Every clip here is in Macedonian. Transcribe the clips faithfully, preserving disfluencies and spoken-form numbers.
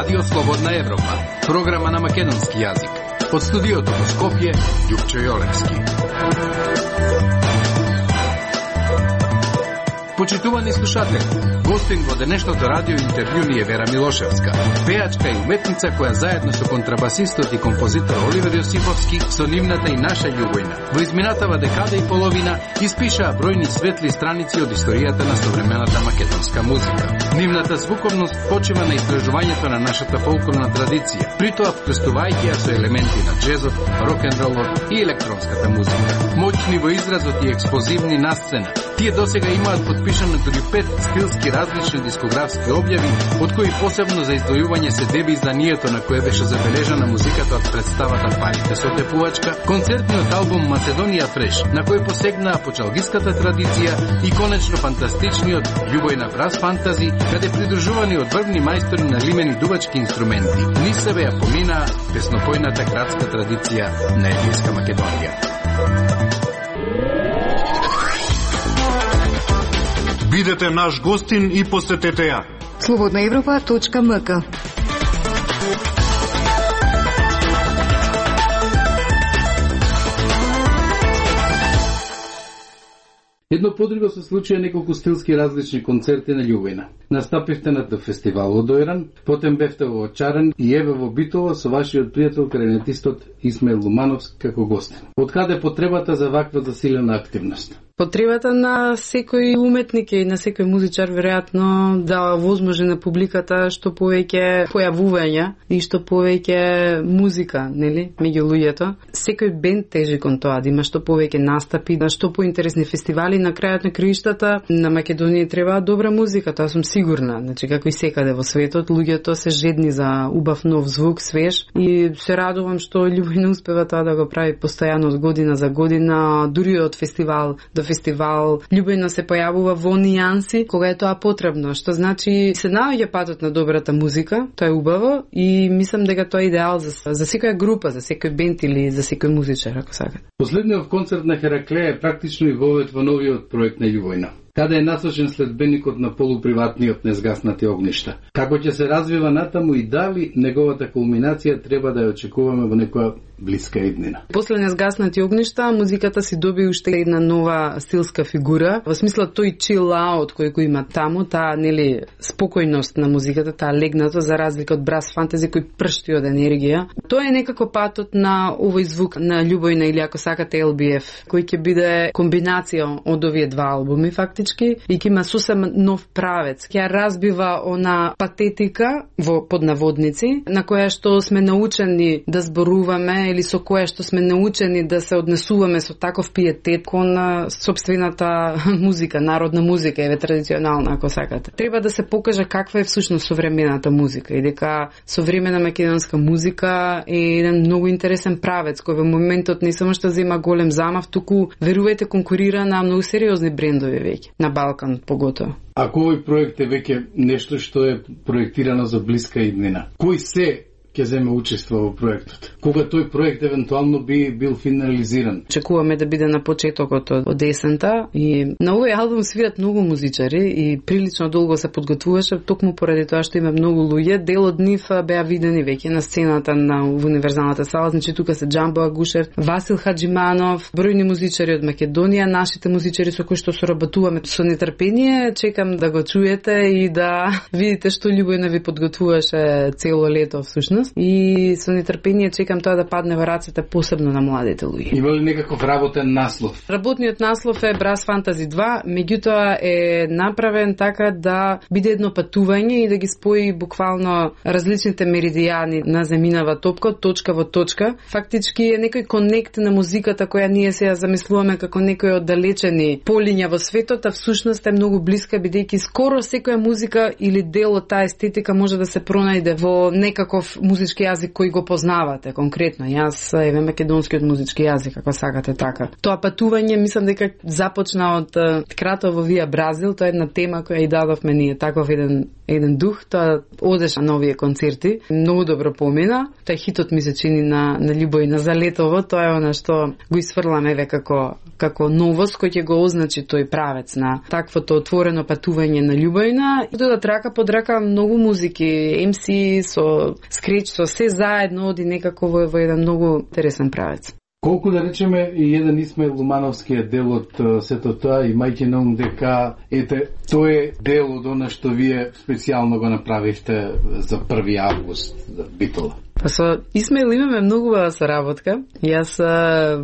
Радио Слободна Европа, програма на македонски јазик. Од студиото во Скопје, Љупчо Јолевски. Почитувани слушатели, гостин во денешното радио интервју ни е Вера Милошевска, пеачка и уметница која заедно со контрабасистот и композитор Оливер Јосиповски со нивната и наша љубовна во изминатава декада и половина испишаа бројни светли страници од историјата на современата македонска музика. Нивната звуковност почива на истражувањето на нашата фолклорна традиција, притоа вкрстувајќи ја со елементи на джезот, рок-н-ролот и електронската музика. Моćни во изразот и експозивни на сцена, тие досега имаат подпишано дури пет стилски различни дискографски објави, од кои посебно за издвојување се деби изданието на кое беше забележана музиката од представата Парите со тепувачка, концертниот албум Macedonija Fresh, на кој посегнаа почалгиската традиција и конечно фантастичниот Љубојна брас фантази, каде придружувани од врвни мајстори на лимени дувачки инструменти, низ себе ја поминаа песнопојната градска традиција на Егејска Македонија. Бидете наш гостин и посетете ја. слободна европа точка ем ка. Едно подруго се случија неколку стилски различни концерти на Љубојна. Настапивте на фестивал во Дојран, потем бевте во Очаран и еве во Битола со вашиот пријател кларинетистот Исмаил Лумановски како гостин. Од каде потребата за ваква засилена активност? Потребата на секој уметник и на секој музичар веројатно да возможи на публиката што повеќе појавувања и што повеќе музика, нели, меѓу луѓето. Секој бенд тежи кон тоа да има што повеќе настапи, да што поинтересни фестивали. На крајот на краиштата на Македонија треба добра музика, тоа сум сигурна. Значи како и секаде во светот, луѓето се жедни за убав нов звук, свеж, и се радувам што Љубојна успева тоа да го прави постојано од година за година, дури од фестивал до фестивал. Љубојна се појавува во нијанси кога е тоа потребно, што значи се наоѓа патот на добрата музика, тоа е убаво и мислам дека тоа е идеал за, за секоја група, за секој бенд или за секој музичар, ако сакате. Последниот концерт на Хераклеја е практично и вовет во новиот проект на Љубојна, каде е насочен следбеникот на полуприватниот Незгаснати огништа. Како ќе се развива натаму и дали неговата кулминација треба да ја очекуваме во некоја блиска иднина? После Незгаснати огништа музиката си доби уште една нова стилска фигура, во смисла тој chill out кој го има таму, таа нели спокојност на музиката, таа легнато за разлика од брас фантази кој пршти од енергија. Тоа е некако патот на овој звук на Љубојна или ако сакате Ел Би Еф, кој ќе биде комбинација од овие два албуми фактички и ќе има сосем нов правец. Ќе разбива она патетика во поднаводници на која што сме научени да зборуваме или со која што сме научени да се однесуваме со таков пиетет кон сопствената музика, народна музика, еве традиционална ако сакате. Треба да се покаже каква е всушност современата музика и дека современа македонска музика е еден многу интересен правец кој во моментот не само што зема голем замав, туку верувајте конкурира на многу сериозни брендови веќе, на Балкан поготово. Ако овој проект е веќе нешто што е проектирано за блиска иднина, кој се ќе земе учество во проектот? Кога тој проект евентуално би бил финализиран? Чекуваме да биде на почетокот од есента и на овој албум свират многу музичари и прилично долго се подготвуваше токму поради тоа што има многу луѓе. Дел од нив беа видени веќе на сцената на универзалната сала, значи тука се Џамбо Агушев, Васил Хаџиманов, бројни музичари од Македонија, нашите музичари со кои што соработуваме. Со нетрпение чекам да го чуете и да видите што Љубојна ви подготвуваше цело лето всушност. И со нетрпение чекам тоа да падне во рацете посебно на младите луѓе. Има ли некаков работен наслов? Работниот наслов е Брас Фантази два, меѓутоа е направен така да биде едно патување и да ги спои буквално различните меридијани на земјинава топка од точка во точка. Фактички е некој конект на музиката која ние се ја замислуваме како некој оддалечени полиња во светот, а всушност е многу блиска бидејќи скоро секоја музика или дел од таа естетика може да се пронајде во некаков музички јазик кој го познавате конкретно. Јас еве македонскиот музички јазик, ако сакате така. Тоа патување мислам дека започна од Кратово вија Бразил, тоа е една тема која и дадовме ние, таков еден еден дух, тоа одеше на овие концерти, многу добро помина. Тоа хитот ми се чини на на Љубојна за летово, тоа е она што го исфрламе еве како како новост кој ќе го означи тој правец на таквото отворено патување на Љубојна. И додат рака под рака многу музики, ем си со скреч, со се заедно оди некако во, во еден многу интересен правец. Колку да речеме и еден Исмаил Лумановскиот дел од сето тоа, имајќи на ум дека ете тој е дел од она што вие специјално го направивте за први август за Битола. Па со Исмаил имаме многу убава соработка. Јас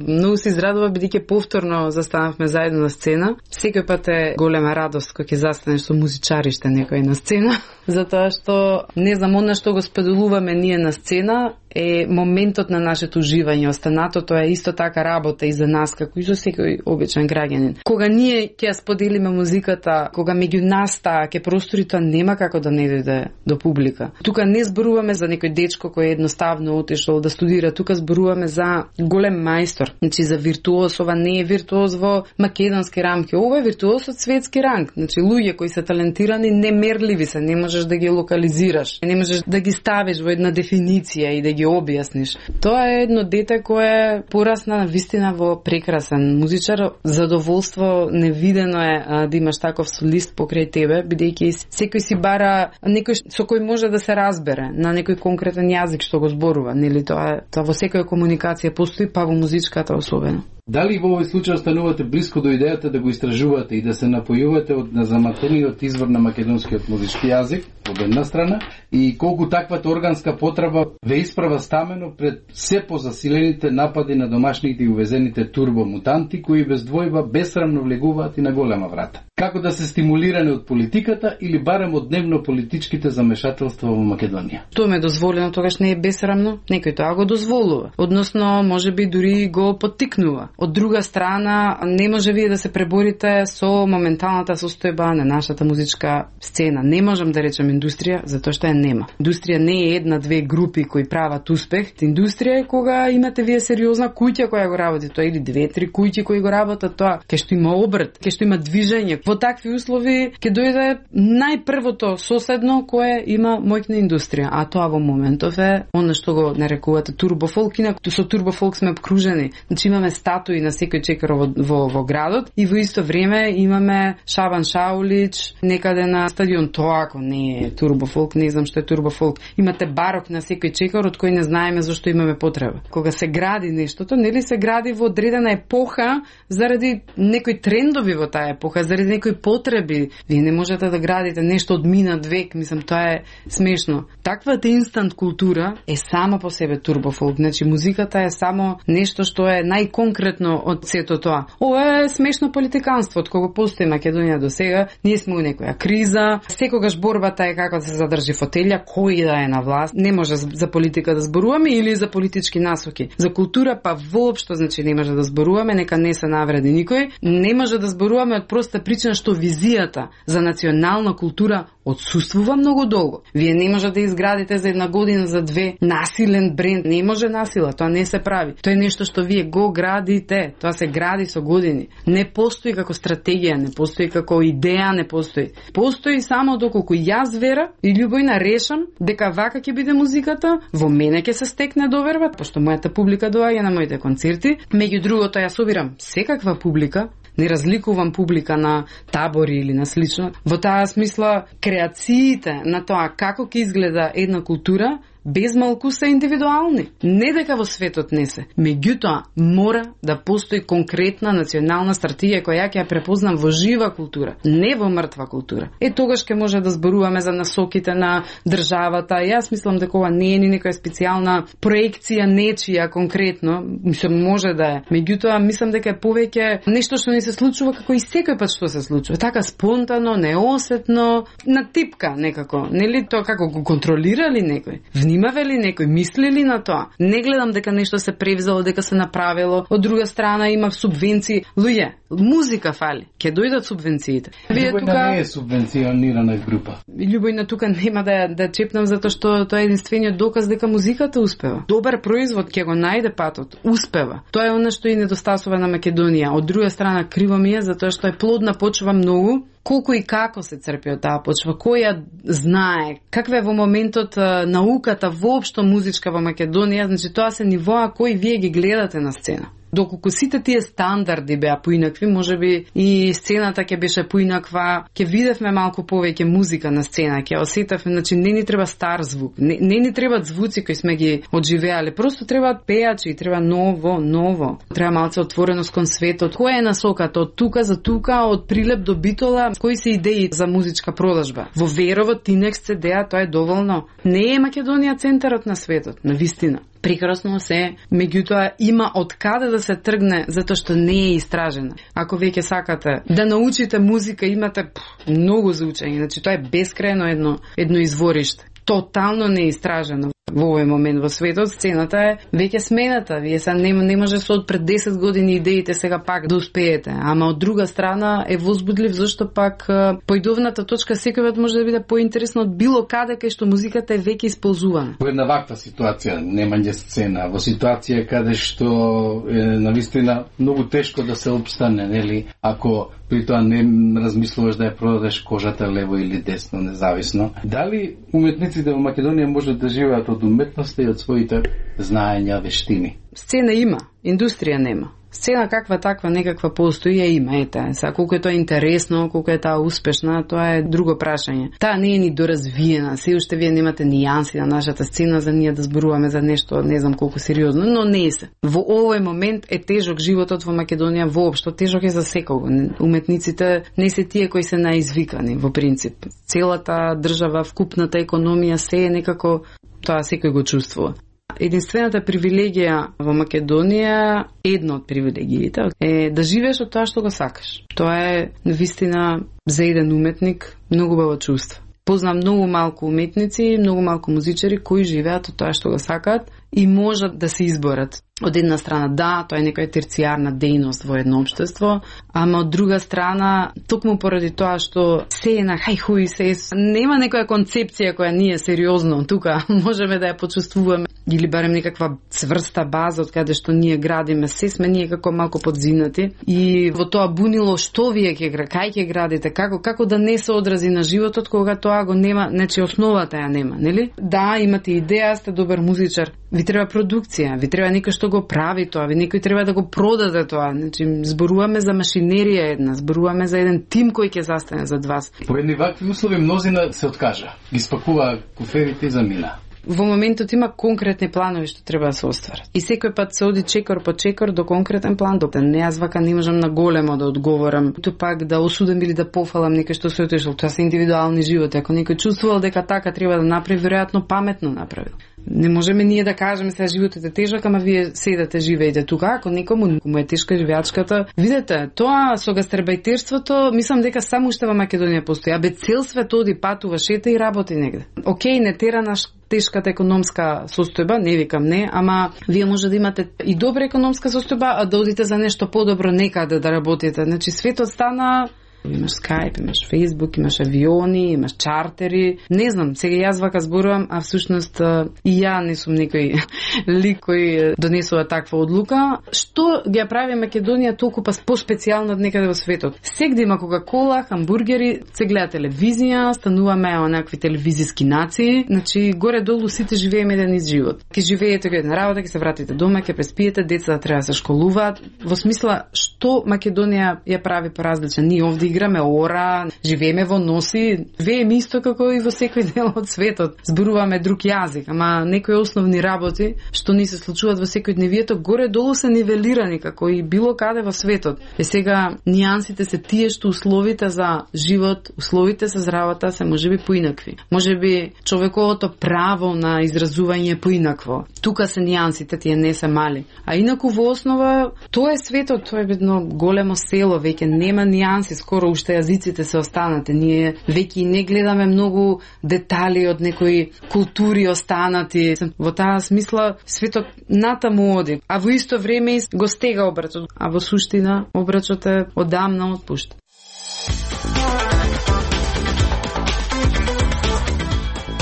многу се израдував бидејќи повторно застанавме заедно на сцена. Секој пат е голема радост кога ќе застанеш со музичариште некој на сцена, затоа што не знам она што го споделуваме ние на сцена е моментот на нашето уживање. Останатото е исто така работа и за нас како и за секој обичен граѓанин. Кога ние ќе споделиме музиката, кога меѓу нас таа ќе простори, тоа нема како да не дојде до публика. Тука не зборуваме за некој дечко кој е едноставно отишол да студира, тука зборуваме за голем мајстор, значи за виртуоз. Ова не е виртуоз во македонски рамки, ова е виртуоз од светски ранг. Значи луѓе кои се талентирани, немерливи се, не можеш да ги локализираш, не можеш да ги ставиш во една дефиниција и да ги објасниш. Тоа е едно дете кое порасна на вистина во прекрасен музичар. Задоволство невидено е а, да имаш таков солист покрај тебе, бидејќи секој си бара некој со кој може да се разбере на некој конкретен јазик што го зборува, нели тоа, тоа во секоја комуникација постои, па во музичката особено. Дали во овој случај останувате блиско до идејата да го истражувате и да се напојувате од незаматениот извор на македонскиот музички јазик, од една страна, и колку таквата органска потреба ве исправа стамено пред се позасилените напади на домашните и увезените турбомутанти, кои без двојба бесрамно влегуваат и на голема врата? Како да се стимулиране од политиката или барем од дневно политичките замешателства во Македонија? Тоа ме дозволено, тогаш не е бесрамно, некој тоа го дозволува. Односно, можеби дури го поттикнува. Од друга страна, не може вие да се преборите со моменталната состојба на нашата музичка сцена. Не можам да речем индустрија, затоа што ја нема. Индустрија не е една-две групи кои прават успех. Индустрија е кога имате вие сериозна куќа која го работи тоа, или две-три куќи кои го работат тоа, кај што има обрт, кај што има движење. Во такви услови ќе дојде најпрвото соседно кое има моќна индустрија, а тоа во моментов е она што го нарекувате турбофолк. Инаку со турбофолк сме обкружени. Значи имаме статуи на секој чекар во, во, во градот и во исто време имаме Шабан Шаулич некаде на стадион. Тоа ако не е турбофолк, не знам што е турбофолк. Имате барок на секој чекар од кој не знаеме зашто имаме потреба. Кога се гради нештото, нели се гради во одредена епоха заради некои трендови во таа епоха, заради некои потреби. Вие не можете да градите нешто од минат век, мислам, тоа е смешно. Таквата инстант култура е само по себе турбофолк. Значи музиката е само нешто што е најконкретно од сето тоа. Ова е смешно политиканство, од кога постои Македонија до сега. Ние сме у некоја криза, секогаш борбата е како да се задржи фотелја, кој да е на власт. Не може за политика да зборуваме или за политички насоки. За култура па воопшто, значи не може да зборуваме, нека не се навреди никој. Не може да зборуваме од проста причина што визијата за национална култура отсуствува многу долго. Вие не може да изградите за една година, за две насилен бренд. Не може насила, тоа не се прави. Тоа е нешто што вие го градите. Тоа се гради со години. Не постои како стратегија, не постои како идеја, не постои. Постои само доколку јас вера и Љубојна решам дека вака ќе биде музиката, во мене ќе се стекне доверба, пошто мојата публика доаѓа на моите концерти. Меѓу другото, јас собирам секаква публика, не разликувам публика на табори или на слично. Во таа смисла, креациите на тоа како ќе изгледа една култура без малку се индивидуални. Не дека во светот не се. Меѓутоа, мора да постои конкретна национална стратегија која ќе ја препознам во жива култура, не во мртва култура. Е, тогаш ќе може да зборуваме за насоките на државата. Јас мислам дека ова не е ни некоја специјална проекција нечија конкретно, мислам може да е. Меѓутоа, мислам дека е повеќе нешто што ни се случува како и секој пат што се случува. Така спонтано, неосетно, на типка некако. Нели тоа како го контролира ли некој? Внимаве ли некој, мисли ли на тоа? Не гледам дека нешто се превзело, дека се направило. Од друга страна има субвенции. Луѓе, Музика фали, ќе дојдат субвенциите. Вие тука не е субвенционирана група. Љубојна тука нема да да чепнам затоа што тоа е единствениот доказ дека музиката успева. Добар производ ќе го најде патот, успева. Тоа е она што и недостасува на Македонија. Од друга страна криво ми е затоа што е плодна почва многу. Колку и како се црпи од таа почва, кој ја знае, каква е во моментот науката воопшто музичка во Македонија, значи тоа се нивоа кои вие ги гледате на сцена. Доколку сите тие стандарди беа поинакви, можеби и сцената ќе беше поинаква, ќе видевме малку повеќе музика на сцена, ќе осетавме, значи не ни треба стар звук, не, не ни требаат звуци кои сме ги одживеале, просто требаат пејачи, треба ново, ново. Треба малце отвореност кон светот. Која е насоката од тука за тука, од Прилеп до Битола, кои се идеи за музичка продажба? Во Верово, Тинекс, Цедеа, тоа е доволно. Не е Македонија центарот на светот, на вистина. Прекрасно се, меѓутоа има од каде да се тргне затоа што не е истражена. Ако веќе сакате да научите музика, имате пф, многу за учење, значи тоа е бескрајно едно едно извориште. Тотално не е истражено. Во овој момент во светот сцената е веќе смената. Вие се не, не може со од пред десет години идеите сега пак да успеете. Ама од друга страна е возбудлив зашто пак поидовната точка секојот може да биде поинтересно од било каде кај што музиката е веќе исползувана. Во една ваква ситуација, немање сцена, во ситуација каде што е навистина многу тешко да се опстане, нели, ако при тоа не размислуваш да ја продадеш кожата лево или десно, независно. Дали уметниците во Македонија можат да живеат од уметноста и од своите знаења, вештини? Сцена има, индустрија нема. Сцена каква таква некаква постои ја има, ете. Сега колку е тоа интересно, колку е таа успешна, тоа е друго прашање. Таа не е ни доразвиена, се уште вие немате нијанси на нашата сцена за ние да зборуваме за нешто, не знам колку сериозно, но не се. Во овој момент е тежок животот во Македонија воопшто, тежок е за секого. Уметниците не се тие кои се наизвикани во принцип. Целата држава, вкупната економија, се е некако тоа секој го чувствува. Единствената привилегија во Македонија, една од привилегиите, е да живееш од тоа што го сакаш. Тоа е навистина за еден уметник многу убаво чувство. Познам многу малку уметници, многу малку музичари кои живеат од тоа што го сакаат и можат да се изборат. Од една страна, да, тоа е некоја терцијарна дејност во едно општество, ама од друга страна, токму поради тоа што се е на хај-хуј, се е, нема некоја концепција која ние сериозно тука можеме да ја почувствуваме, или барем некаква цврста база од каде што ние градиме, се сме ние како малку подзинати и во тоа бунило што вие ќе кај ќе градите, како како да не се одрази на животот кога тоа го нема, значи основата ја нема, нели? Да, имате идеја, сте добар музичар, ви треба продукција, ви треба некој што го прави тоа, ви некој треба да го продаде тоа. Значи зборуваме за машинерија една, зборуваме за еден тим кој ќе застане зад вас. По едни вакви услови мнозина се откажа, ги спакува куферите и замина. Во моментот има конкретни планови што треба да се остварат. И секој пат се оди чекор по чекор до конкретен план. До не јас вака не можам на големо да одговорам. Ту пак да осудам или да пофалам некој што се отишол. Тоа се индивидуални животи. Ако некој чувствувал дека така треба да направи, веројатно паметно направил. Не можеме ние да кажеме сега животот е тежок, ама вие седате живеете тука. Ако некому му е тешка живеачката, видете, тоа со гастербајтерството, мислам дека само уште во Македонија постои. Абе цел свет оди, патува, шета и работи негде. Океј, не тера наш тешката економска состојба, не викам не, ама вие може да имате и добра економска состојба, а да одите за нешто подобро некаде да работите. Значи светот стана, имаш Skype, имаш Facebook, имаш авиони, имаш чартери. Не знам, сега јас вака зборувам, а всушност и ја не сум некој лик кој донесува таква одлука. Што ги ја прави Македонија толку па по-специјална од некаде во светот? Сегде има Кока-кола, хамбургери, се гледа телевизија, стануваме онакви телевизиски нации. Значи горе-долу сите живееме еден ист живот. Ке живеете една работа, ке се вратите дома, ке преспиете, децата треба да се школуваат. Во смисла што Македонија ја прави поразличен? Ние овде играме ора, живееме во носи, вееме исто како и во секој дел од светот. Зборуваме друг јазик, ама некои основни работи што ни се случуваат во секојдневието горе-долу се нивелирани како и било каде во светот. Е сега нијансите се тие што условите за живот, условите за здравата се можеби поинакви. Можеби човековото право на изразување е поинакво. Тука се нијансите, тие не се мали. А инаку во основа тоа е светот, тоа е едно големо село, веќе нема нијанси, скоро скоро уште јазиците се останате. Ние веќе не гледаме многу детали од некои култури останати. Во таа смисла светот натаму оди, а во исто време го стега обрачот, а во суштина обрачот е одамна отпушт.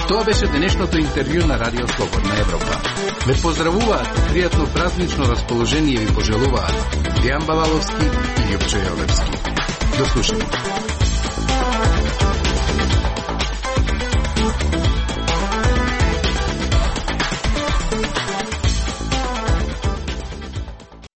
Тоа беше денешното интервју на Радио Слободна Европа. Ве поздравуваат, пријатно празнично расположение ви пожелуваат Дијан Балаловски и Љупчо Јовевски. До слушање.